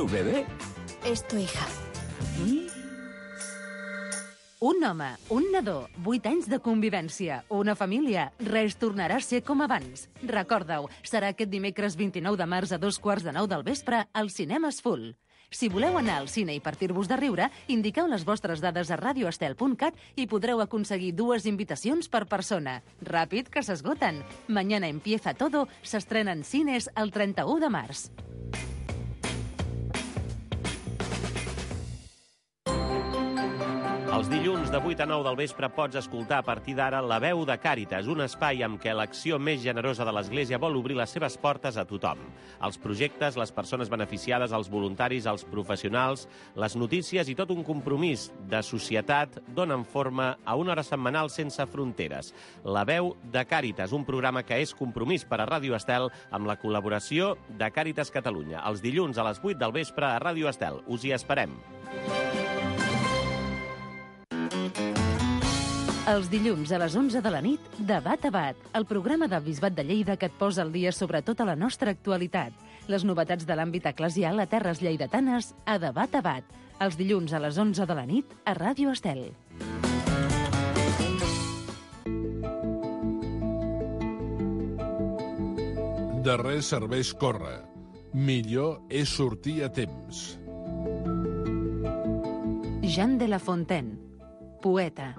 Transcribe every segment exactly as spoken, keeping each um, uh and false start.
tu bebé? És tu hija. Mm? Un home, un nadó, vuit anys de convivència, una família, res tornarà a ser com abans. Recorda-ho, serà aquest dimecres vint-i-nou de març a dos quarts de nou del vespre al Cinemes Full. Si voleu anar al cine i partir-vos de riure, indiqueu les vostres dades a radio estel punt cat i podreu aconseguir dues invitacions per persona. Ràpid, que s'esgoten. Mañana empieza todo s'estrena en cines el trenta-u de març. Els dilluns de vuit a nou del vespre pots escoltar a partir d'ara La veu de Càritas, un espai amb què l'acció més generosa de l'Església vol obrir les seves portes a tothom. Els projectes, les persones beneficiades, els voluntaris, els professionals, les notícies i tot un compromís de societat donen forma a una hora setmanal sense fronteres. La veu de Càritas, un programa que és compromís per a Ràdio Estel amb la col·laboració de Càritas Catalunya. Els dilluns a les vuit del vespre a Ràdio Estel. Us hi esperem. Els dilluns a les onze de la nit, Debat a Bat, el programa del Bisbat de Lleida que et posa al dia sobre tota la nostra actualitat. Les novetats de l'àmbit eclesial a terres lleidatanes a Debat a Bat. Els dilluns a les onze de la nit a Ràdio Estel. De res serveix córrer. Millor és sortir a temps. Jean de La Fontaine, poeta.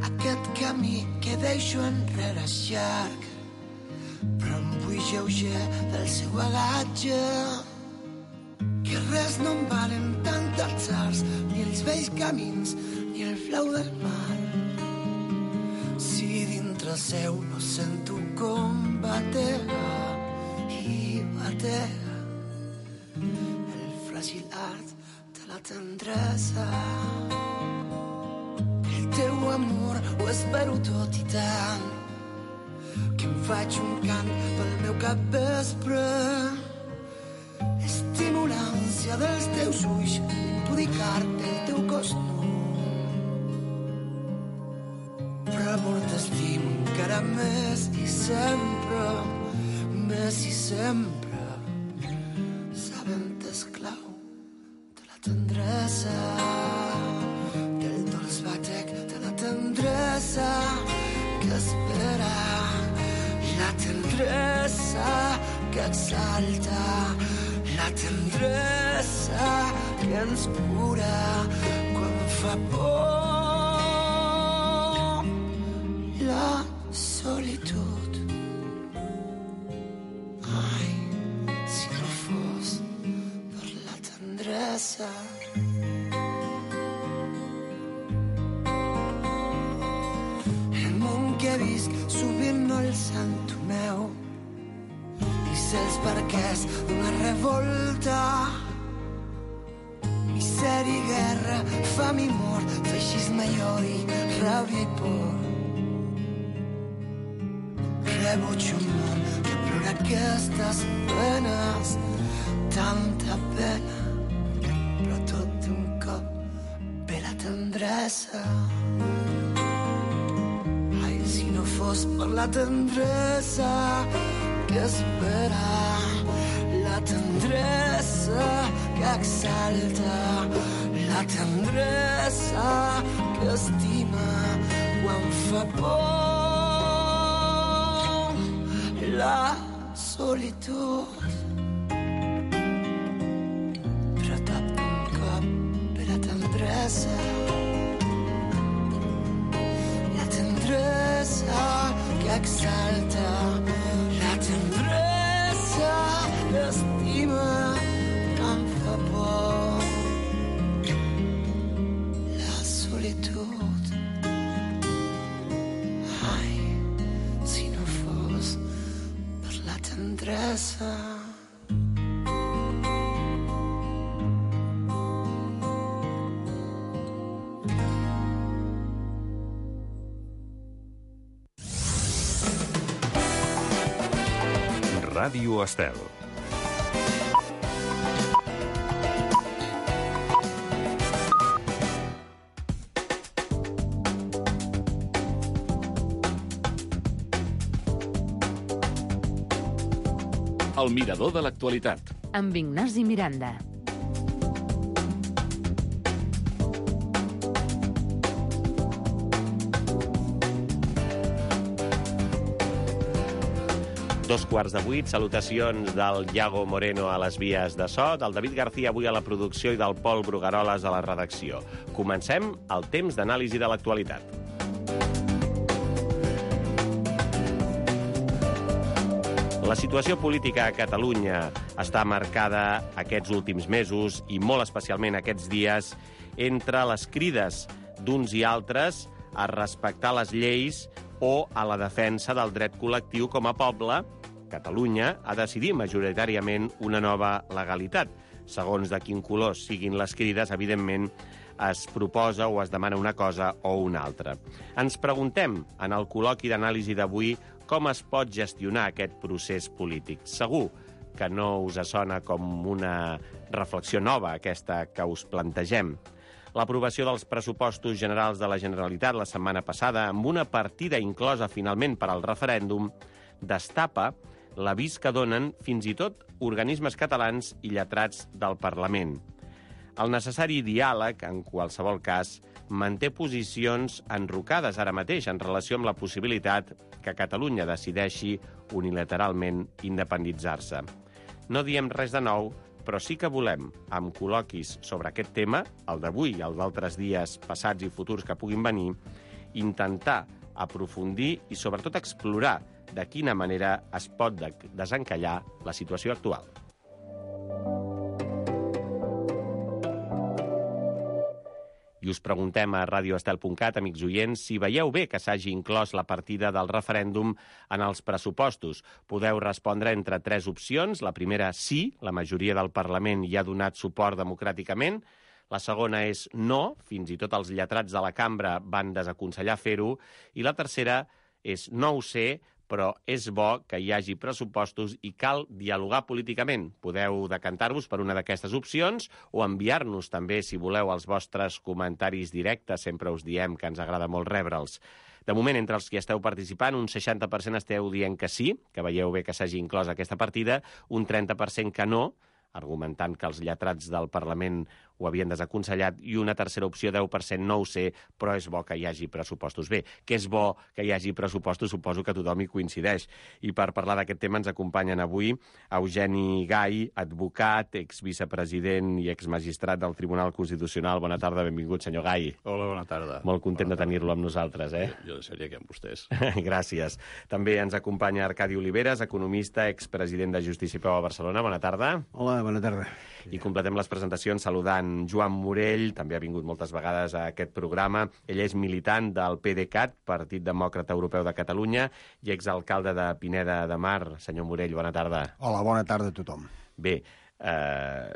Aquest camí que deixo enrere és llarg, però em vull lleuger del seu agatge. Que res no em valen tant els arts, ni els vells camins, ni el flau del mar. Si dintre seu no sento com batega i batega el fràgil art de la tendresa. El teu amor ho espero tot i tant, que em faig un cant pel meu capvespre. Estimo l'ànsia dels teus ulls, impudicar-te el teu cos nu. Però amor t'estimo encara més i sempre, més i sempre, sabent esclau de la tendresa, del dolç batec de la tendresa que espera, la tendresa que exalta, la tendresa que ens cura quan fa por. La solitud. Ai, si no fos per la tendresa. El món que visc sovint no el sento meu, i sé els perquès d'una revolta. Misèria i guerra, fam i mort, feixisme i odi, ràbia i por. Rebuig un món que plora aquestes penes, tanta pena, però tot d'un cop ve la tendresa. Ai, si no fos per la tendresa que espera, la tendresa que exalta, la tendresa que estima quan fa por. La solitud, però tot d'un cop ve la tendresa, la tendresa que exalta, la tendresa que estima quan fa por. La solitud. Ai, si no fos per la tendresa. Ràdio Estel. El mirador de l'actualitat. Amb Ignasi Miranda. Dos quarts de vuit, salutacions del Iago Moreno a les vies de so, del David García avui a la producció i del Pol Brugaroles a la redacció. Comencem el temps d'anàlisi de l'actualitat. La situació política a Catalunya està marcada aquests últims mesos i molt especialment aquests dies entre les crides d'uns i altres a respectar les lleis o a la defensa del dret col·lectiu com a poble. Catalunya ha decidit majoritàriament una nova legalitat. Segons de quin color siguin les crides, evidentment, es proposa o es demana una cosa o una altra. Ens preguntem, en el col·loqui d'anàlisi d'avui, com es pot gestionar aquest procés polític. Segur que no us sona com una reflexió nova, aquesta que us plantegem. L'aprovació dels pressupostos generals de la Generalitat la setmana passada, amb una partida inclosa finalment per al referèndum, destapa l'avís que donen fins i tot organismes catalans i lletrats del Parlament. El necessari diàleg, en qualsevol cas, manté posicions enrocades ara mateix en relació amb la possibilitat que Catalunya decideixi unilateralment independitzar-se. No diem res de nou, però sí que volem, amb col·loquis sobre aquest tema, el d'avui i el d'altres dies passats i futurs que puguin venir, intentar aprofundir i sobretot explorar de quina manera es pot desencallar la situació actual. I us preguntem a radio estel punt cat, amics oients, si veieu bé que s'hagi inclòs la partida del referèndum en els pressupostos. Podeu respondre entre tres opcions. La primera, sí, la majoria del Parlament hi ha donat suport democràticament. La segona és no, fins i tot els lletrats de la cambra van desaconsellar fer-ho. I la tercera és no ho sé, però és bo que hi hagi pressupostos i cal dialogar políticament. Podeu decantar-vos per una d'aquestes opcions o enviar-nos també, si voleu, els vostres comentaris directes. Sempre us diem que ens agrada molt rebre'ls. De moment, entre els que esteu participant, un seixanta per cent esteu dient que sí, que veieu bé que s'hagi inclòs aquesta partida, un trenta per cent que no, argumentant que els lletrats del Parlament ho havien desaconsellat, i una tercera opció, deu per cent, no ho sé, però és bo que hi hagi pressupostos. Bé, que és bo que hi hagi pressupostos, suposo que tothom hi coincideix. I per parlar d'aquest tema ens acompanyen avui Eugeni Gai, advocat, exvicepresident i exmagistrat del Tribunal Constitucional. Bona tarda, benvingut, senyor Gai. Hola, bona tarda. Molt content de tenir-lo amb nosaltres, eh? Jo, jo seria aquí amb vostès. Gràcies. També ens acompanya Arcadi Oliveres, economista, expresident de Justícia i Pau a Barcelona. Bona tarda. Hola, bona tarda. I completem les presentacions saludant Joan Morell, també ha vingut moltes vegades a aquest programa. Ell és militant del P D cat, Partit Demòcrata Europeu de Catalunya, i exalcalde de Pineda de Mar. Senyor Morell, bona tarda. Hola, bona tarda a tothom. Bé, eh,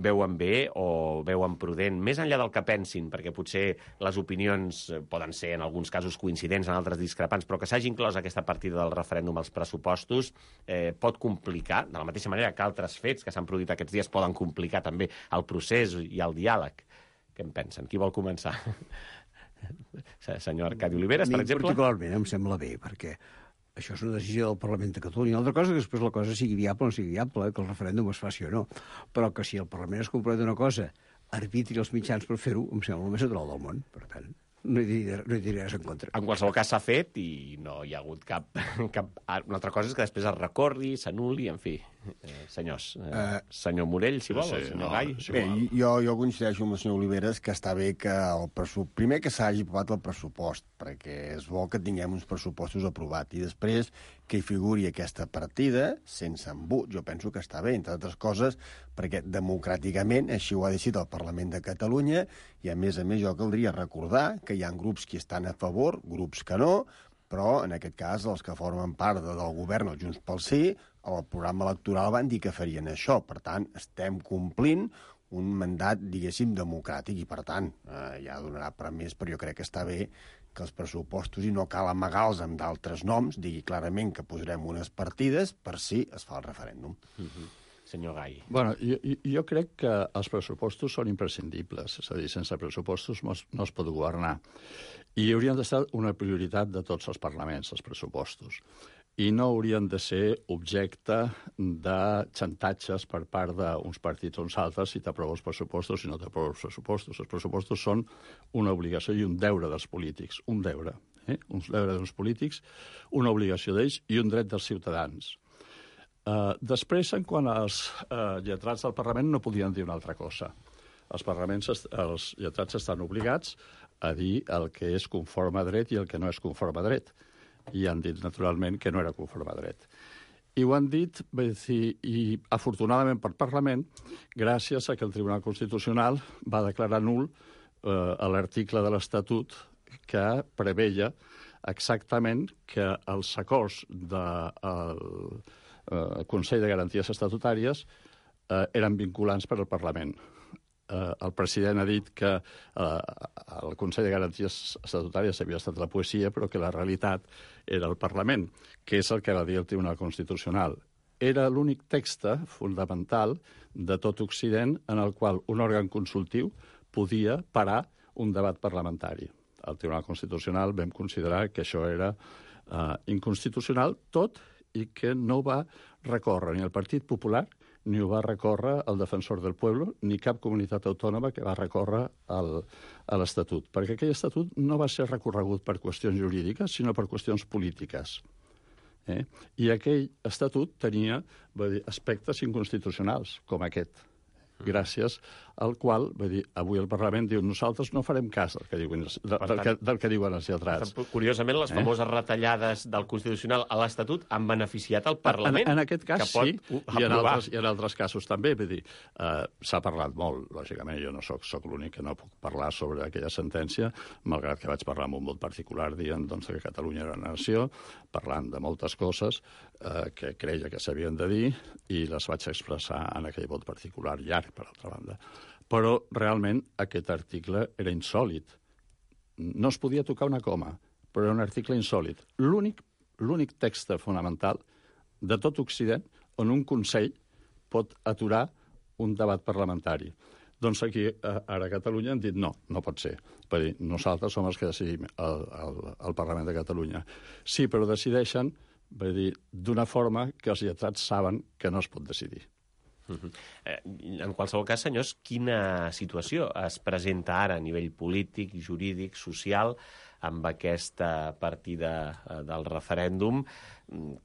veuen bé o veuen prudent, més enllà del que pensin, perquè potser les opinions poden ser en alguns casos coincidents, en altres discrepants, però que s'hagi inclòs aquesta partida del referèndum als pressupostos eh, pot complicar, de la mateixa manera que altres fets que s'han produït aquests dies poden complicar també el procés i el diàleg. Què en pensen? Qui vol començar? Senyor Arcadi Oliveres, per exemple? Particularment em sembla bé, perquè això és una decisió del Parlament de Catalunya. L'altra cosa és que després la cosa sigui viable o no sigui viable, eh, que el referèndum es faci o no. Però que si el Parlament es compromete una cosa, arbitri els mitjans per fer-ho, em sembla el més natural del món. Per tant, no hi diré, no hi diré res en contra. En qualsevol cas s'ha fet i no hi ha hagut cap, cap... Una altra cosa és que després es recorri, s'anul·li, en fi. Eh, senyors, eh, uh, senyor Morell, si vol, sí, senyor no, Gai. Sí, bé, jo, jo coincideixo amb el senyor Oliveres que està bé que el pressupost... Primer que s'hagi aprovat el pressupost, perquè és bo que tinguem uns pressupostos aprovats, i després que hi figuri aquesta partida sense embut. Jo penso que està bé, entre altres coses, perquè democràticament així ho ha decidit el Parlament de Catalunya, i a més a més jo caldria recordar que hi ha grups que estan a favor, grups que no, però en aquest cas els que formen part del govern, el Junts pel Sí, al programa electoral van dir que farien això. Per tant, estem complint un mandat, diguéssim, democràtic, i per tant, eh, ja donarà per més, però jo crec que està bé que els pressupostos, i no cal amagar-los amb d'altres noms, digui clarament que posarem unes partides per si es fa el referèndum. Uh-huh. Senyor Gai. Bueno, jo, jo crec que els pressupostos són imprescindibles, és a dir, sense pressupostos no es, no es pot governar. I haurien d'estar una prioritat de tots els parlaments, els pressupostos. i no haurien de ser objecte de xantatges per part d'uns partits o uns altres si t'aprovo els pressupostos, si no t'aprovo els pressupostos. Els pressupostos són una obligació i un deure dels polítics, un deure, eh? un deure dels polítics, una obligació d'ells i un dret dels ciutadans. Uh, després, en quant als uh, lletrats del Parlament, no podien dir una altra cosa. Els parlaments, els lletrats estan obligats a dir el que és conforme a dret i el que no és conforme a dret. I han dit, naturalment, que no era conforme a dret. I ho han dit, dir, i afortunadament per Parlament, gràcies a que el Tribunal Constitucional va declarar nul eh, l'article de l'Estatut que preveia exactament que els acords del eh, Consell de Garanties Estatutàries eh, eren vinculants per al Parlament. Eh, el president ha dit que eh, el Consell de Garanties Estatutàries havia estat la poesia, però que la realitat era el Parlament, que és el que va dir el Tribunal Constitucional. Era l'únic text fundamental de tot Occident en el qual un òrgan consultiu podia parar un debat parlamentari. Al Tribunal Constitucional vam considerar que això era eh, inconstitucional, tot i que no va recórrer ni el Partit Popular ni ho va recórrer el Defensor del Pueblo, ni cap comunitat autònoma que va recórrer el, a l'Estatut, perquè aquell Estatut no va ser recorregut per qüestions jurídiques, sinó per qüestions polítiques. Eh? I aquell Estatut tenia va dir, aspectes inconstitucionals, com aquest, gràcies al qual, va dir, avui el Parlament diu nosaltres no farem cas del que diuen, del, del, que, del que diuen els lletrats. Curiosament, les famoses eh? retallades del Constitucional a l'Estatut han beneficiat el Parlament. En, en aquest cas, sí, i en, altres, i en altres casos també. Vull dir, eh, s'ha parlat molt, lògicament, jo no soc, soc l'únic que no puc parlar sobre aquella sentència, malgrat que vaig parlar amb un vot particular dient doncs, que Catalunya era una nació, parlant de moltes coses eh, que creia que s'havien de dir, i les vaig expressar en aquell vot particular llarg, per altra banda. Però realment aquest article era insòlid. No es podia tocar una coma, però era un article insòlid. L'únic l'únic text fonamental de tot Occident on un Consell pot aturar un debat parlamentari. Doncs aquí, ara a Catalunya, han dit no, no pot ser. Per dir, nosaltres som els que decidim al, al, al Parlament de Catalunya. Sí, però decideixen d'una forma que els lletrats saben que no es pot decidir. Uh-huh. eh, en qualsevol cas, senyors, quina situació es presenta ara a nivell polític, jurídic, social, amb aquesta partida eh, del referèndum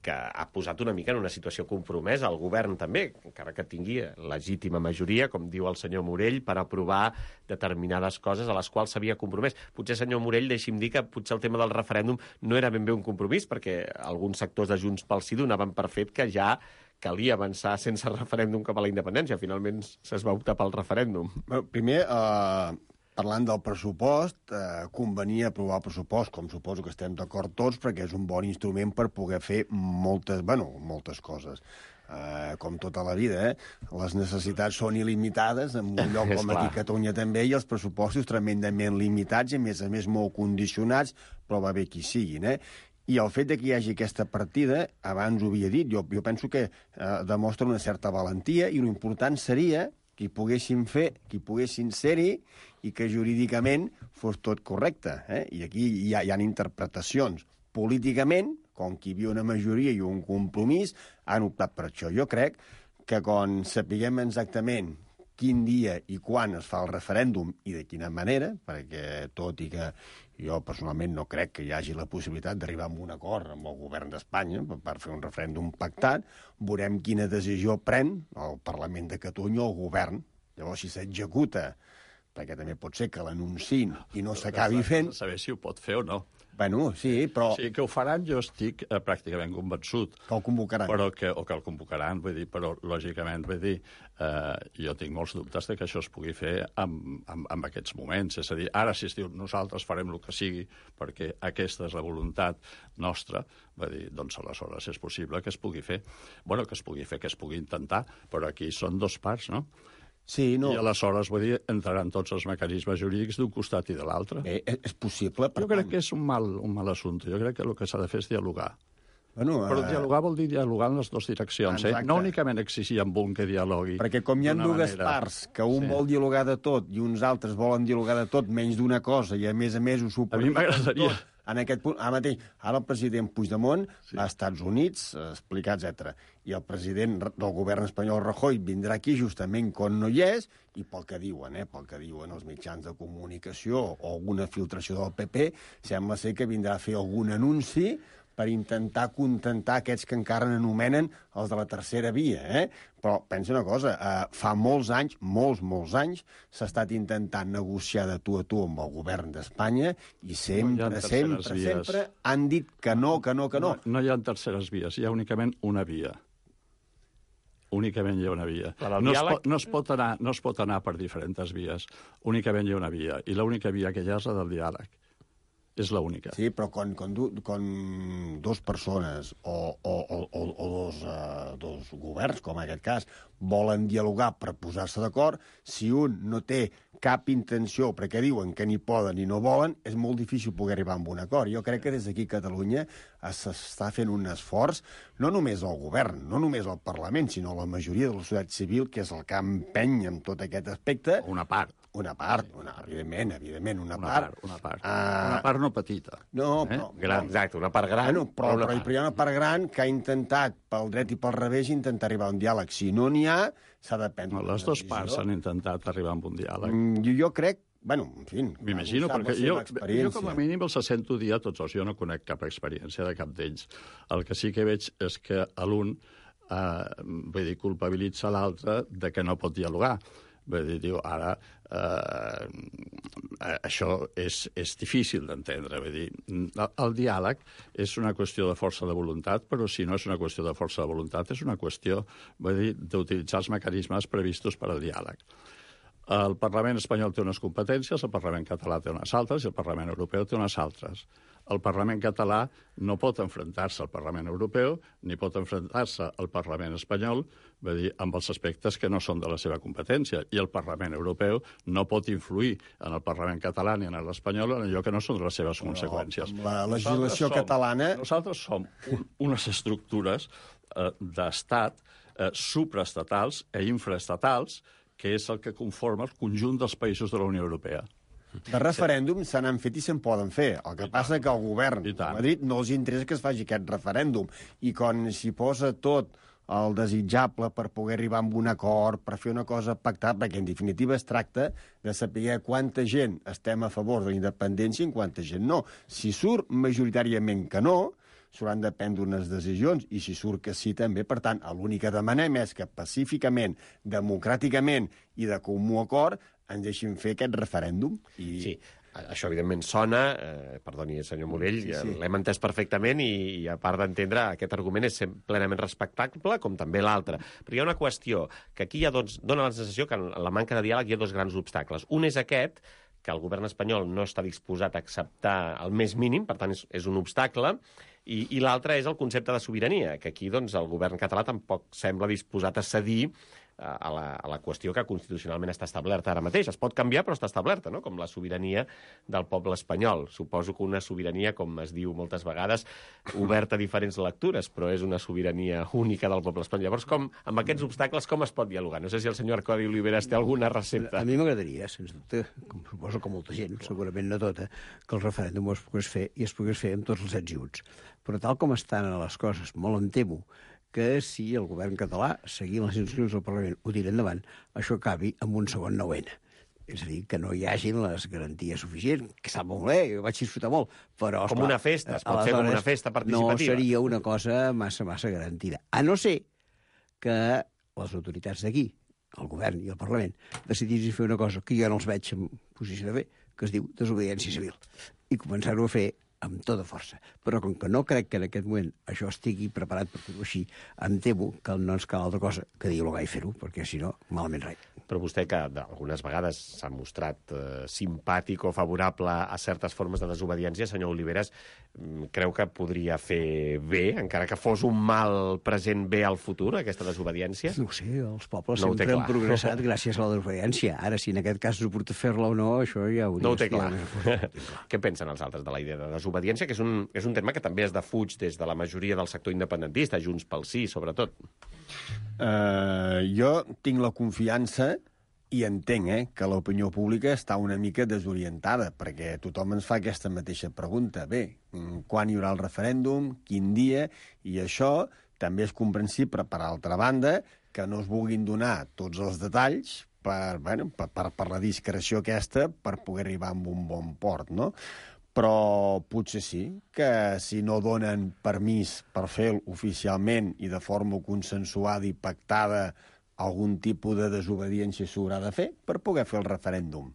que ha posat una mica en una situació compromesa el govern també, encara que tingui legítima majoria, com diu el senyor Morell, per aprovar determinades coses a les quals s'havia compromès. Potser, senyor Morell, deixi'm dir que potser el tema del referèndum no era ben bé un compromís, perquè alguns sectors de Junts pel Sí donaven per fet que ja calia avançar sense referèndum cap a la independència. Finalment es va optar pel referèndum. Bueno, primer, eh, parlant del pressupost, eh, convenia aprovar el pressupost, com suposo que estem d'acord tots, perquè és un bon instrument per poder fer moltes, bueno, moltes coses. Eh, com tota la vida, eh? Les necessitats són il·limitades, en un lloc com aquí a Catalunya també, i els pressupostos tremendament limitats, i a més a més molt condicionats, però va bé qui siguin, eh? I el fet de que hi hagi aquesta partida, abans ho havia dit, jo, jo penso que eh, demostra una certa valentia, i l'important seria que hi poguessin fer, que hi poguessin ser-hi, i que jurídicament fos tot correcte. Eh? I aquí hi ha, hi ha interpretacions. Políticament, com que hi havia una majoria i un compromís, han optat per això. Jo crec que quan sapiguem exactament quin dia i quan es fa el referèndum i de quina manera, perquè tot i que jo personalment no crec que hi hagi la possibilitat d'arribar a un acord amb el govern d'Espanya per fer un referèndum pactat, veurem quina decisió pren el Parlament de Catalunya o el govern. Llavors, si s'executa, perquè també pot ser que l'anunciïn i no s'acabi fent... Saber si ho pot fer o no. Bueno, sí, però... Sí, que ho faran, jo estic eh, pràcticament convençut. Que el convocaran. Però que, o que el convocaran, vull dir, però lògicament, vull dir, eh, jo tinc molts dubtes de que això es pugui fer en, en, en aquests moments. És a dir, ara si es diu nosaltres farem el que sigui perquè aquesta és la voluntat nostra, vull dir, doncs aleshores és possible que es pugui fer. Bueno, que es pugui fer, que es pugui intentar, però aquí són dos parts, no? Sí, no. I aleshores, vull dir, entraran tots els mecanismes jurídics d'un costat i de l'altre. Bé, és possible, per Jo crec tant. que és un mal, un mal assumpte. Jo crec que el que s'ha de fer és dialogar. Bueno, Però eh... dialogar vol dir dialogar en les dues direccions, eh? No únicament exigir amb un que dialogui. Perquè com hi ha dues manera... parts, que un sí. vol dialogar de tot i uns altres volen dialogar de tot menys d'una cosa, i a més a més ho supervisen A mi m'agradaria... en aquest punt, ara mateix, ara el president Puigdemont sí. va als Estats Units a explicar, etcètera. I el president del govern espanyol, Rajoy, vindrà aquí justament quan no hi és, i pel que diuen, eh, pel que diuen els mitjans de comunicació o alguna filtració del P P, sembla ser que vindrà a fer algun anunci per intentar contentar aquests que encara n'anomenen els de la tercera via, eh? Però pensa una cosa, eh, fa molts anys, molts, molts anys, s'ha estat intentant negociar de tu a tu amb el govern d'Espanya i sempre, no sempre, sempre han dit que no, que no, que no. No, no hi ha terceres vies, hi ha únicament una via. Únicament hi ha una via. No es, pot, no, es pot anar, no es pot anar per diferents vies. Únicament hi ha una via. I l'única via que hi ha és la del diàleg. És l'única. Sí, però quan, quan, du, quan dos persones o, o, o, o dos, uh, dos governs, com en aquest cas, volen dialogar per posar-se d'acord, si un no té cap intenció, perquè diuen que ni poden ni no volen, és molt difícil poder arribar a un acord. Jo crec que des d'aquí a Catalunya s'està fent un esforç, no només el govern, no només el Parlament, sinó la majoria de la societat civil, que és el que empeny en tot aquest aspecte. Una part. Una part, una, evidentment, evidentment, una, una part. part. Una part, uh, una part no petita. No, eh? però... Gran, exacte, una part gran. Bueno, però, però, però, però hi ha una part gran que ha intentat, pel dret i pel revés, intentar arribar a un diàleg. Si no n'hi ha, s'ha de prendre no, les dues parts han intentat arribar a un diàleg. Mm, jo, jo crec, bueno, en fi... M'imagino, perquè jo, jo com a mínim els sento dir a tots els... Jo no conec cap experiència de cap d'ells. El que sí que veig és que l'un eh, vull dir, culpabilitza l'altre de que no pot dialogar. Vull dir, diu, ara, eh, això és, és difícil d'entendre. Vull dir, el, el diàleg és una qüestió de força de voluntat, però si no és una qüestió de força de voluntat, és una qüestió, vull dir, d'utilitzar els mecanismes previstos per al diàleg. El Parlament espanyol té unes competències, el Parlament català té unes altres i el Parlament europeu té unes altres. El Parlament català no pot enfrontar-se al Parlament europeu ni pot enfrontar-se al Parlament espanyol, vull dir, amb els aspectes que no són de la seva competència. I el Parlament europeu no pot influir en el Parlament català ni en l'espanyol en allò que no són de les seves Però, conseqüències. Amb la legislació nosaltres catalana... Som, nosaltres som un, unes estructures eh, d'estat eh, supraestatals e infraestatals que és el que conforma el conjunt dels països de la Unió Europea. De referèndum se n'han fet i se'n poden fer. El que passa que el govern de Madrid no els interessa que es faci aquest referèndum. I quan s'hi posa tot el desitjable per poder arribar a un acord, per fer una cosa pactada, perquè en definitiva es tracta de saber quanta gent estem a favor de la independència i quanta gent no. Si surt majoritàriament que no, s'hauran de prendre unes decisions, i si surt que sí també. Per tant, l'únic que demanem és que pacíficament, democràticament i de comú acord ens deixin fer aquest referèndum. I... Sí, això evidentment sona, eh, perdoni, senyor Morell, sí, sí. L'hem entès perfectament i, i a part d'entendre, aquest argument és plenament respectable, com també l'altre. Però hi ha una qüestió, que aquí hi ha dos, dona la sensació que en la manca de diàleg hi ha dos grans obstacles. Un és aquest, que el govern espanyol no està disposat a acceptar el més mínim, per tant és, és un obstacle, i, i l'altre és el concepte de sobirania, que aquí doncs, el govern català tampoc sembla disposat a cedir a la, a la qüestió que constitucionalment està establerta ara mateix. Es pot canviar, però està establerta, no? Com la sobirania del poble espanyol. Suposo que una sobirania, com es diu moltes vegades, oberta a diferents lectures, però és una sobirania única del poble espanyol. Llavors, com, amb aquests obstacles, com es pot dialogar? No sé si el senyor Arcadi Oliveras té alguna recepta. A mi m'agradaria, sens dubte, com suposo que molta gent, segurament no tota, que el referèndum es pogués fer i es pogués fer amb tots els ets i uts. Però tal com estan les coses, molt em temo que si el govern català, seguint les instruccions del Parlament, ho tira endavant, això acabi amb un segon nou ena. És a dir, que no hi hagin les garanties suficients, que està molt bé, jo vaig disfrutar molt, però... Com una festa, es pot fer com una festa participativa. No seria una cosa massa, massa garantida. A no ser que les autoritats d'aquí, el govern i el Parlament, decidissin fer una cosa que jo no els veig en posició de fer, que es diu desobediència civil, i començar-ho a fer amb tota força. Però com que no crec que en aquest moment això estigui preparat per fer-ho així, em temo que no ens cal altra cosa que dialogar i fer-ho, perquè si no, malament res. Però vostè, que algunes vegades s'ha mostrat eh, simpàtic o favorable a certes formes de desobediència, senyor Oliveras, creu que podria fer bé, encara que fos un mal present bé al futur, aquesta desobediència? No ho sé, els pobles no sempre han progressat gràcies a la desobediència. Ara, si en aquest cas suporta fer-la o no, això ja ho no ho té clar. Què pensen els altres de la idea de desobediència, que és un, és un tema que també es defuig des de la majoria del sector independentista, Junts pel Sí, sobretot? Uh, jo tinc la confiança I entenc eh, que l'opinió pública està una mica desorientada, perquè tothom ens fa aquesta mateixa pregunta. Bé, quan hi haurà el referèndum, quin dia, i això també és comprensible, per altra banda, que no es vulguin donar tots els detalls per, bueno, per, per, per la discreció aquesta per poder arribar a un bon port, no? Però potser sí, que si no donen permís per fer-lo oficialment i de forma consensuada i pactada, algun tipus de desobediència s'haurà de fer per poder fer el referèndum.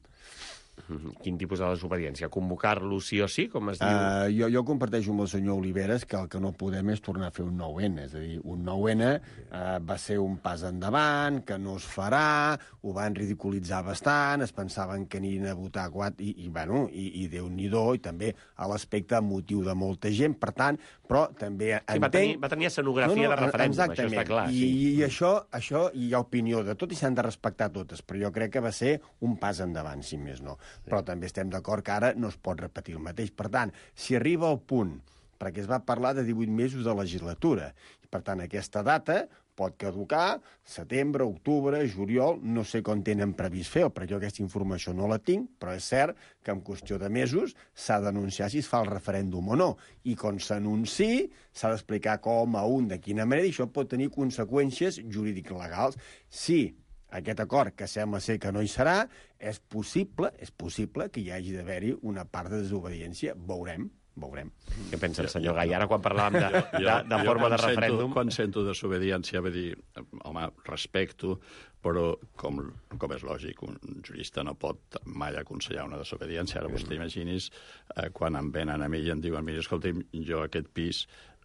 Quin tipus de desobediència? Convocar-lo sí o sí, com es diu? Uh, jo, jo comparteixo amb el senyor Oliveres que el que no podem és tornar a fer un nou ene. És a dir, un nou ene uh, va ser un pas endavant, que no es farà, ho van ridiculitzar bastant, es pensaven que anirien a votar quatre, i, i, bueno, i, i Déu-n'hi-do, i també a l'aspecte emotiu de molta gent. Per tant, però també sí, entenc... Va tenir, va tenir escenografia no, no, de referèndum, exactament. Això està clar. I, sí. i això, això hi ha opinió de tot i s'han de respectar totes, però jo crec que va ser un pas endavant, si més no. Sí. Però també estem d'acord que ara no es pot repetir el mateix. Per tant, si arriba al punt, perquè es va parlar de divuit mesos de legislatura, i per tant aquesta data pot caducar setembre, octubre, juliol, no sé com tenen previst fer-ho, perquè jo aquesta informació no la tinc, però és cert que en qüestió de mesos s'ha d'anunciar si es fa el referèndum o no. I quan s'anunciï s'ha d'explicar com, a un, de quina manera, i això pot tenir conseqüències jurídic-legals. Sí, aquest acord, que sembla ser que no hi serà, és possible, és possible que hi hagi d'haver-hi una part de desobediència. Veurem, veurem. Què pensa el senyor Gai? Ara, quan parlàvem de, jo, de, de jo, forma de referèndum... Sento, quan sento desobediència, va dir, home, respecto, però, com, com és lògic, un jurista no pot mai aconsellar una desobediència. Ara vostè imagini's, eh, quan em venen a mi i em diuen, mira, escolta, jo aquest pis...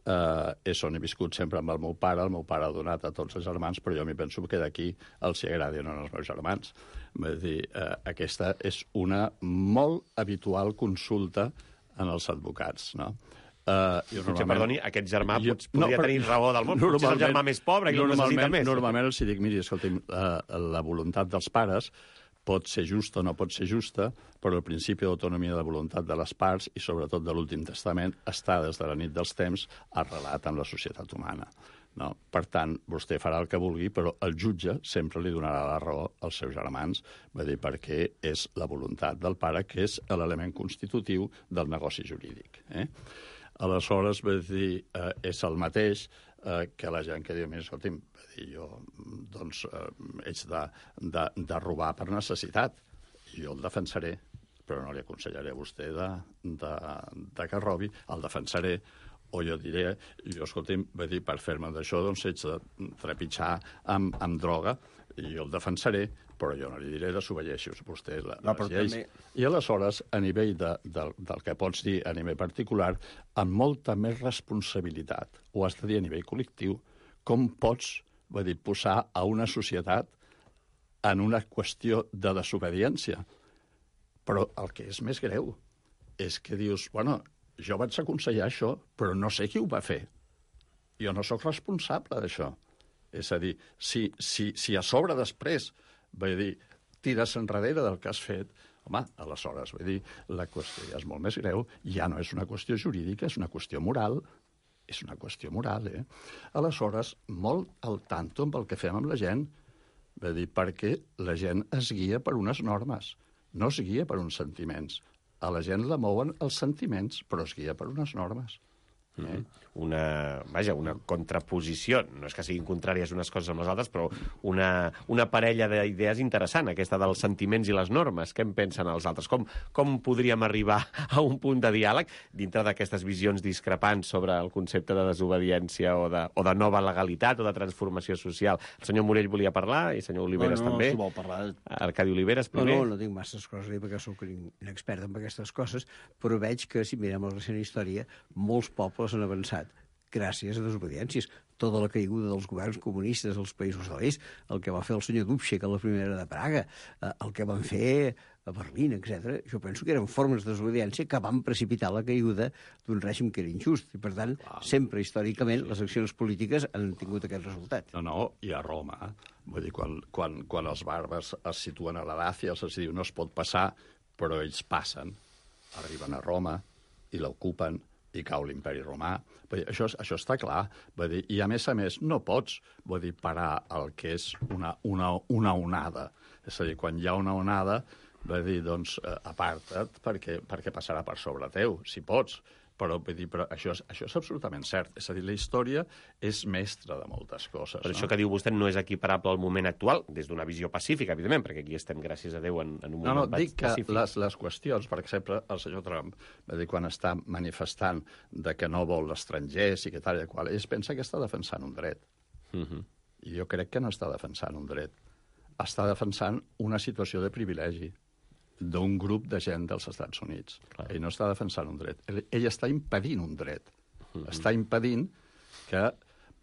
Uh, és on he viscut sempre amb el meu pare, el meu pare ha donat a tots els germans, però jo m'hi penso que d'aquí els hi agradi o no als meus germans. Vull dir, uh, aquesta és una molt habitual consulta en els advocats, no? Uh, jo normalment... Perdoni, aquest germà jo... podria no, però... tenir raó del món, potser és el germà més pobre i el necessita més. Normalment els dic, miri, escolti'm, uh, la voluntat dels pares pot ser justa o no pot ser justa, però el principi d'autonomia de voluntat de les parts i sobretot de l'últim testament està des de la nit dels temps arrelat en la societat humana. No? Per tant, vostè farà el que vulgui, però el jutge sempre li donarà la raó als seus germans, va dir, perquè és la voluntat del pare, que és l'element constitutiu del negoci jurídic. Eh? Aleshores, va dir, eh, és el mateix eh, que la gent que diu, mira, escolti'm, jo doncs, eh, haig de, de, de robar per necessitat. Jo el defensaré, però no li aconsellaré a vostè de, de, de que robi, el defensaré, o jo diré, jo, escolti'm, va dir, per fer-me d'això, doncs haig de trepitjar amb, amb droga, i jo el defensaré, però jo no li diré desobedieixi vostè la, no, les lleis. També... I aleshores, a nivell de, de, del que pots dir a nivell particular, amb molta més responsabilitat, ho has de dir a nivell col·lectiu, com pots, va dir, posar a una societat en una qüestió de desobediència. Però el que és més greu és que dius, bueno, jo vaig aconsellar això, però no sé qui ho va fer. Jo no sóc responsable d'això. És a dir, si, si, si a sobre després, va dir, tires enrere del que has fet, home, aleshores, va dir, la qüestió ja és molt més greu, ja no és una qüestió jurídica, és una qüestió moral. És una qüestió moral, eh? Aleshores, molt al tanto amb el que fem amb la gent, va dir, perquè la gent es guia per unes normes, no es guia per uns sentiments. A la gent la mouen els sentiments, però es guia per unes normes. Eh? Una, vaja, una contraposició, no és que siguin contràries unes coses amb les altres, però una, una parella d'idees interessant, aquesta dels sentiments i les normes. Què en pensen els altres? Com, com podríem arribar a un punt de diàleg dintre d'aquestes visions discrepants sobre el concepte de desobediència o de, o de nova legalitat o de transformació social? El senyor Morell volia parlar i el senyor Oliveres no, no, també. No, no, si vol parlar... Arcadi Oliveres, primer. No, no, no tinc masses coses a dir perquè soc inexpert en aquestes coses, però veig que, si mirem la recent història, molts pobles han avançat gràcies a desobediències. Tota la caiguda dels governs comunistes als països de l'est, el que va fer el senyor Dubček a la primera de Praga, el que van fer a Berlín, etcètera. Jo penso que eren formes de desobediència que van precipitar la caiguda d'un règim que era injust. I, per tant, wow. sempre, històricament, les accions polítiques han tingut aquest resultat. No, no, i a Roma, vull dir, quan, quan, quan els bàrbars es situen a la Dàcia, els diu no es pot passar, però ells passen, arriben a Roma i l'ocupen, i cau l'imperi romà. Vull dir, això, això està clar. Vull dir, I, a més a més, no pots vull dir, parar el que és una, una, una onada. És a dir, quan hi ha una onada, vull dir, doncs, eh, aparta't perquè, perquè passarà per sobre teu, si pots. Però, vull dir, però això, és, això és absolutament cert. És a dir, la història és mestra de moltes coses. Però no? això que diu vostè no és equiparable al moment actual, des d'una visió pacífica, evidentment, perquè aquí estem, gràcies a Déu, en, en un No, moment no, dic que pacífic. les, les qüestions, per exemple, el senyor Trump, va dir, quan està manifestant de que no vol estrangers i que tal i qual, ell pensa que està defensant un dret. Uh -huh. I jo crec que no està defensant un dret. Està defensant una situació de privilegi d'un grup de gent dels Estats Units. Clar. Ell no està defensant un dret. Ell, ell està impedint un dret. Uh -huh. Està impedint que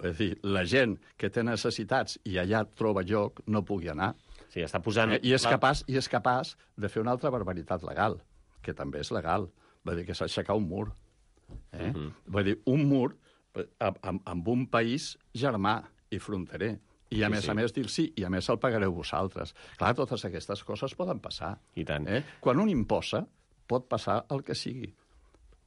és dir, la gent que té necessitats i allà troba lloc no pugui anar. Sí, està posant... Eh, I, és capaç, I és capaç de fer una altra barbaritat legal, que també és legal. Vull dir que s'aixecar un mur. Eh? Uh -huh. Vull dir, un mur amb, amb un país germà i fronterer. I, a sí, més sí. a més, dir sí, i a més el pagareu vosaltres. Clar, totes aquestes coses poden passar. I tant. Eh? Quan un imposa, pot passar el que sigui.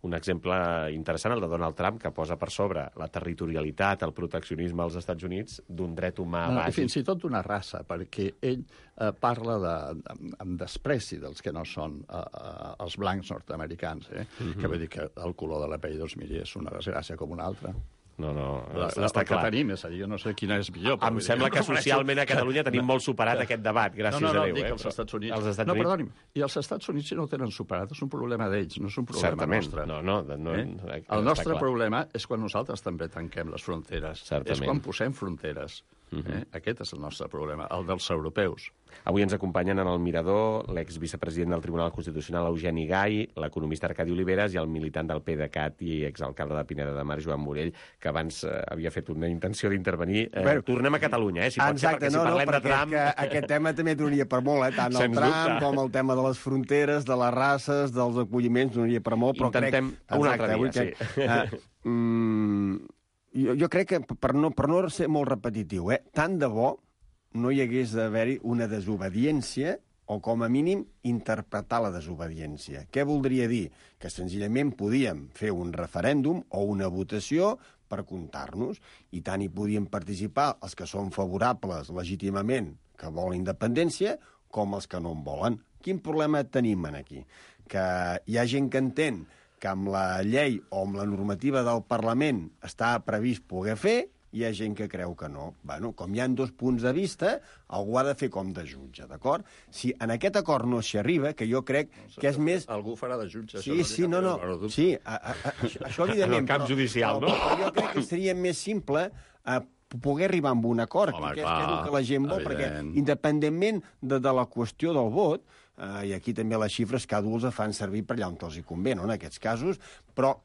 Un exemple interessant, el de Donald Trump, que posa per sobre la territorialitat, el proteccionisme als Estats Units d'un dret humà no, bàsic. Fins i tot d'una raça, perquè ell eh, parla de, de, amb despreci dels que no són eh, eh, els blancs nord-americans, eh? Uh-huh. Que vull dir que el color de la pell, doncs, miri, és una desgràcia com una altra. No, no, la, la, està clar. Que tenim, és a dir, jo no sé quina és millor. Però em sembla que socialment a Catalunya tenim molt superat aquest debat, gràcies no, no, no, a Déu. Dic eh? els Estats Units. Els Estats no, Units... perdoni'm, i els Estats Units si no ho tenen superat és un problema d'ells, no és un problema Certament. nostre. No, no, no, eh? no, el nostre problema és quan nosaltres també tanquem les fronteres. Certament. És quan posem fronteres. Uh-huh. eh? Aquest és el nostre problema, el dels europeus. Avui ens acompanyen en el Mirador l'exvicepresident del Tribunal Constitucional, Eugeni Gai, l'economista Arcadi Oliveres i el militant del PDeCAT i exalcalde de Pineda de Mar, Joan Morell, que abans eh, havia fet una intenció d'intervenir. Eh, bueno, tornem a Catalunya, eh, si pot exacte, ser, perquè no, si parlem no, de Trump... Que aquest tema també donaria per molt, eh? Tant el Trump com el tema de les fronteres, de les races, dels acolliments, donaria per molt, però Intentem crec... un altre dia, que, sí. Uh, mm, jo, jo crec que, per no, per no ser molt repetitiu, eh, tant de bo no hi hagués d'haver-hi una desobediència o, com a mínim, interpretar la desobediència. Què voldria dir? Que senzillament podíem fer un referèndum o una votació per comptar-nos, i tant hi podien participar els que són favorables legítimament, que volen independència, com els que no en volen. Quin problema tenim aquí? Que hi ha gent que entén que amb la llei o amb la normativa del Parlament està previst poder fer, hi ha gent que creu que no. Bueno, com hi ha dos punts de vista, algú ha de fer com de jutge, d'acord? Si en aquest acord no s'hi arriba, que jo crec no, que és més... Algú farà de jutge. Sí, sí, no, no. Sí, a, a, a, això, això evidentment... En el camp però, judicial, però, no? Però jo crec que seria més simple a poder arribar a un acord, Home, que, clar, que és el que la gent vol, evident. perquè independentment de, de la qüestió del vot, eh, i aquí també les xifres cada un les fan servir per allà on els hi convé, no?, en aquests casos, però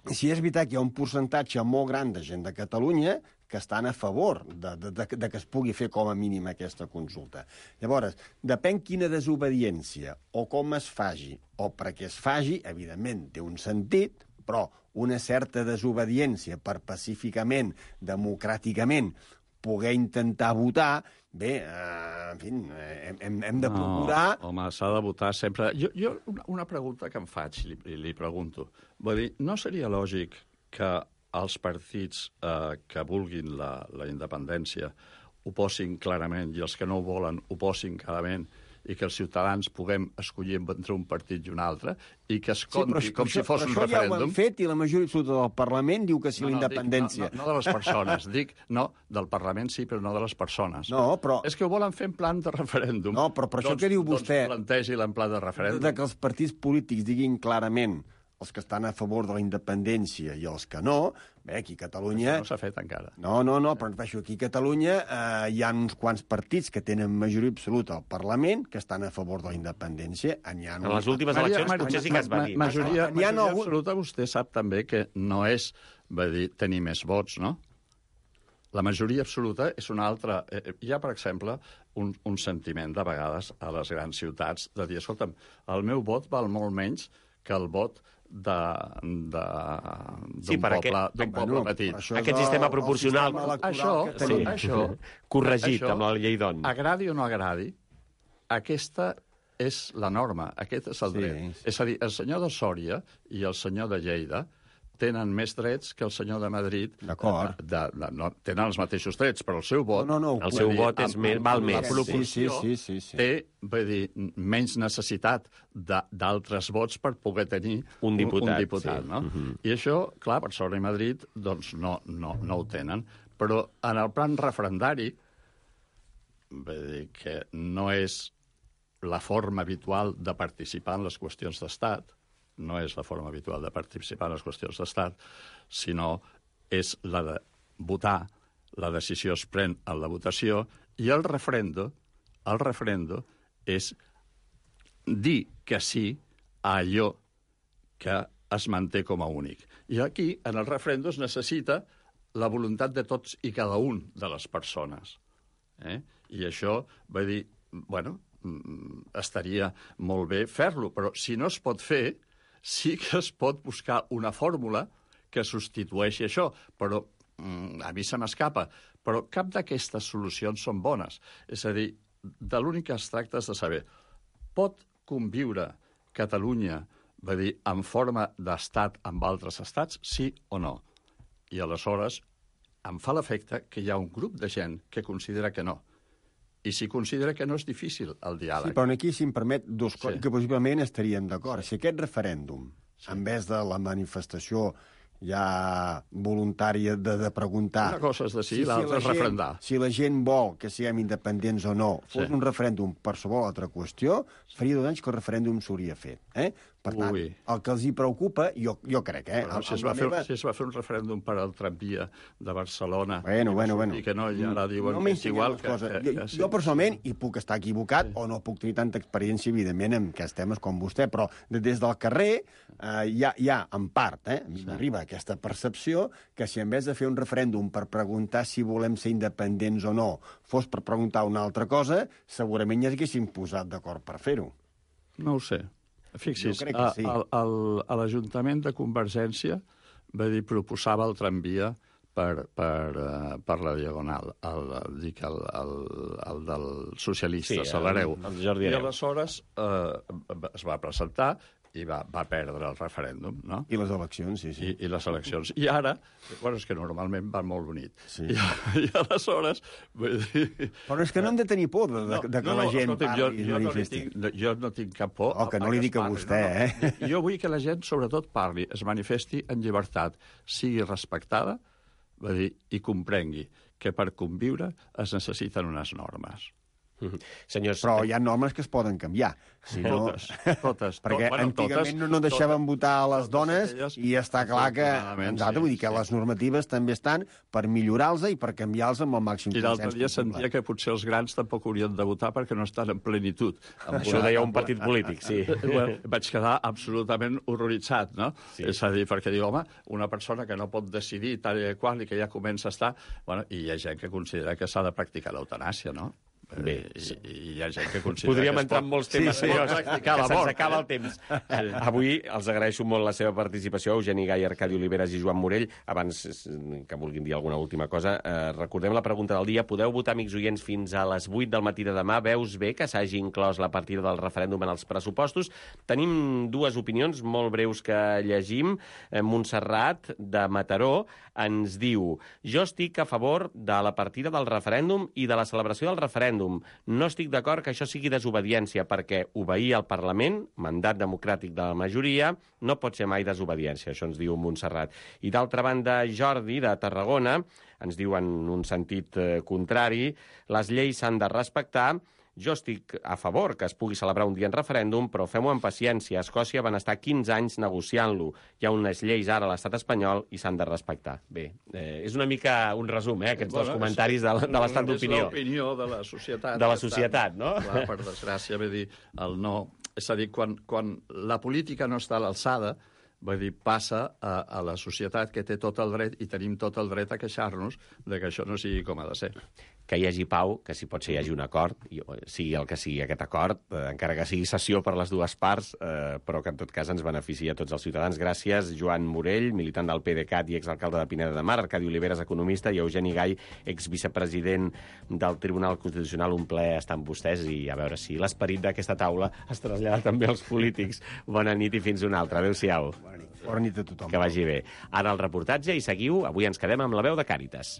si és veritat que hi ha un percentatge molt gran de gent de Catalunya que estan a favor de, de, de, de que es pugui fer com a mínim aquesta consulta. Llavors, depèn quina desobediència o com es faci o perquè es faci, evidentment té un sentit, però una certa desobediència per pacíficament, democràticament, poder intentar votar, bé, eh, en fi, hem, hem, hem de procurar... No, home, s'ha de votar sempre... Jo, jo una, una pregunta que em faig, li, li pregunto. Vull dir, no seria lògic que els partits eh, que vulguin la, la independència ho posin clarament i els que no ho volen ho posin clarament i que els ciutadans puguem escollir entre un partit i un altre i que es compti sí, com això, si fos un referèndum. Això ja ho han fet i la majoria absoluta del Parlament diu que sí, no, no, la independència. Dic, no, no, no de les persones, dic, no, del Parlament sí, però no de les persones. No, però... És que ho volen fer en plan de referèndum. No, però per doncs, això que diu vostè... Doncs plantegi-la en plan de referèndum. De que els partits polítics diguin clarament els que estan a favor de la independència i els que no, bé, aquí a Catalunya... Això no s'ha fet encara. No, no, no, però aquí a Catalunya eh, hi ha uns quants partits que tenen majoria absoluta al Parlament que estan a favor de la independència. En, en les últimes eleccions Maria, potser sí que es va dir. Majoria, majoria absoluta, vostè sap també que no és, va dir, tenir més vots, no? La majoria absoluta és una altra... Hi ha, per exemple, un, un sentiment de vegades a les grans ciutats de dir, escolta'm, el meu vot val molt menys que el vot d'un sí, poble, d'un poble no, petit. Aquest sistema proporcional... Això, sí. això, corregit això, amb la llei d'On. Agradi o no agradi, aquesta és la norma, aquest és el dret. Sí. És a dir, el senyor de Sòria i el senyor de Lleida tenen més drets que el senyor de Madrid. D'acord. De, de, de, no, tenen els mateixos drets, però el seu vot... No, no, no, El seu vot és més, val La més. proporció Sí, sí, sí, sí, sí. té, vull dir, menys necessitat de- d'altres vots per poder tenir Un diputat, un diputat sí. no? Mhm. I això, clar, Barcelona i Madrid doncs no, no, no ho tenen. Però en el plan referendari, vull dir que no és la forma habitual de participar en les qüestions d'estat, no és la forma habitual de participar en les qüestions d'estat, sinó és la de votar, la decisió es pren en la votació, i el referendo, el referendo és dir que sí a allò que es manté com a únic. I aquí, en el referendo, es necessita la voluntat de tots i cada un de les persones. Eh? I això, vull dir, bueno, estaria molt bé fer-lo, però si no es pot fer, sí que es pot buscar una fórmula que substitueixi això, però mm, a mi se m'escapa. Però cap d'aquestes solucions són bones. És a dir, de l'únic que es tracta és de saber, pot conviure Catalunya, va dir, en forma d'estat amb altres estats, sí o no? I aleshores em fa l'efecte que hi ha un grup de gent que considera que no. I si considera que no és difícil el diàleg. Sí, però aquí, si em permet, dos coses Sí. que possiblement estaríem d'acord. Sí. Si aquest referèndum, Sí. en vez de la manifestació ja voluntària de, de preguntar... Una cosa és decidir, si l'altra la és gent- referendar. Si la gent vol que siguem independents o no, fos Sí. un referèndum per qualsevol altra qüestió, faria dos anys que el referèndum s'hauria fet. Eh? Per tant, Ui. el que els hi preocupa, jo, jo crec, eh? Però amb- si es, amb va la fer, meva- si es va fer un referèndum per al tramvia de Barcelona Bueno, i va bueno, sortir bueno. que no, i ara diuen no que és igual les que, coses. que, jo, que sí. jo personalment, i puc estar equivocat, sí. o no puc tenir tanta experiència, evidentment, en aquests temes com vostè, però de- des del carrer eh, hi, ha, hi ha, en part, eh, a mi m'arriba aquesta percepció que si en vez de fer un referèndum per preguntar si volem ser independents o no, fos per preguntar una altra cosa, segurament ja s'haguessin posat d'acord per fer-ho. No ho sé. Fixi's, Jo crec que a, sí. a, a, a l'Ajuntament de Convergència va dir, proposava el tramvia per, per, uh, per la Diagonal, el, dic, el, el, el del socialista, Sí, sí, l'hereu. el- el Jordi I Hereu. aleshores eh, es va presentar i va, va perdre el referèndum, no? I les eleccions, sí, sí. I, i les eleccions. I ara, bueno, és que normalment van molt bonit. Sí. I, I aleshores, vull dir... Però és que no hem de tenir por de, de, de que la gent escolti'm, parli jo, i jo, no li manifesti. tinc, no, jo no tinc cap por. Oh, que no li dic a es parli, vostè, no, no. eh? Jo vull que la gent, sobretot, parli, es manifesti en llibertat, sigui respectada, va dir, i comprengui que per conviure es necessiten unes normes. Senyors, Però hi ha normes que es poden canviar. Si no... Totes, totes. Perquè bueno, antigament totes, no, no deixaven totes, votar a les totes dones aquelles, i està clar que... afortunadament, Exacte, sí, vull dir que sí. les normatives també estan per millorar-los i per canviar-los amb el màxim I l'altre consens dia possible. sentia que potser els grans tampoc haurien de votar perquè no estan en plenitud. això ho deia un partit polític, sí. Bueno, vaig quedar absolutament horroritzat, no? Sí. És a dir, perquè diu, home, una persona que no pot decidir tal i qual i que ja comença a estar... Bueno, i hi ha gent que considera que s'ha de practicar l'eutanàsia, no? Bé, I, sí. i hi ha gent que considera Podríem que es entrar pot... en molts temes, sí, sí, senyors, practicar que la se'ns mort. acaba el temps. Eh, Avui els agraeixo molt la seva participació, Eugeni Gai, Arcadi Oliveres i Joan Morell. Abans eh, que vulguin dir alguna última cosa, eh, recordem la pregunta del dia. Podeu votar, amics oients, fins a les vuit del matí de demà. Veus bé que s'hagi inclòs la partida del referèndum en els pressupostos? Tenim dues opinions molt breus que llegim. Eh, Montserrat, de Mataró, ens diu: jo estic a favor de la partida del referèndum i de la celebració del referèndum. No estic d'acord que això sigui desobediència, perquè obeir al Parlament, mandat democràtic de la majoria, no pot ser mai desobediència, això ens diu Montserrat. I d'altra banda, Jordi, de Tarragona, ens diu en un sentit eh, contrari: les lleis s'han de respectar. Jo estic a favor que es pugui celebrar un dia en referèndum, però fem-ho amb paciència. A Escòcia van estar quinze anys negociant-lo. Hi ha unes lleis ara a l'estat espanyol i s'han de respectar. Bé, eh, és una mica un resum, eh, aquests dos comentaris de, de l'estat d'opinió. És l'opinió de la societat. De la que societat, està, no? Clar, per desgràcia, vull dir, el no... És a dir, quan, quan la política no està a l'alçada, vull dir, passa a, a la societat que té tot el dret i tenim tot el dret a queixar-nos de que això no sigui com ha de ser. que hi hagi pau, que si pot ser hi hagi un acord, i sigui el que sigui aquest acord, eh, encara que sigui sessió per les dues parts, eh, però que en tot cas ens beneficia a tots els ciutadans. Gràcies, Joan Morell, militant del PDeCAT i exalcalde de Pineda de Mar, Arcadi Oliveres, economista, i Eugeni Gai, exvicepresident del Tribunal Constitucional. Un plaer estar amb vostès i a veure si l'esperit d'aquesta taula es trasllada també als polítics. Bona nit i fins una altra. Adéu-siau. Bona nit. Bona nit a tothom. Que vagi bé. Ara el reportatge i seguiu. Avui ens quedem amb la veu de Càritas.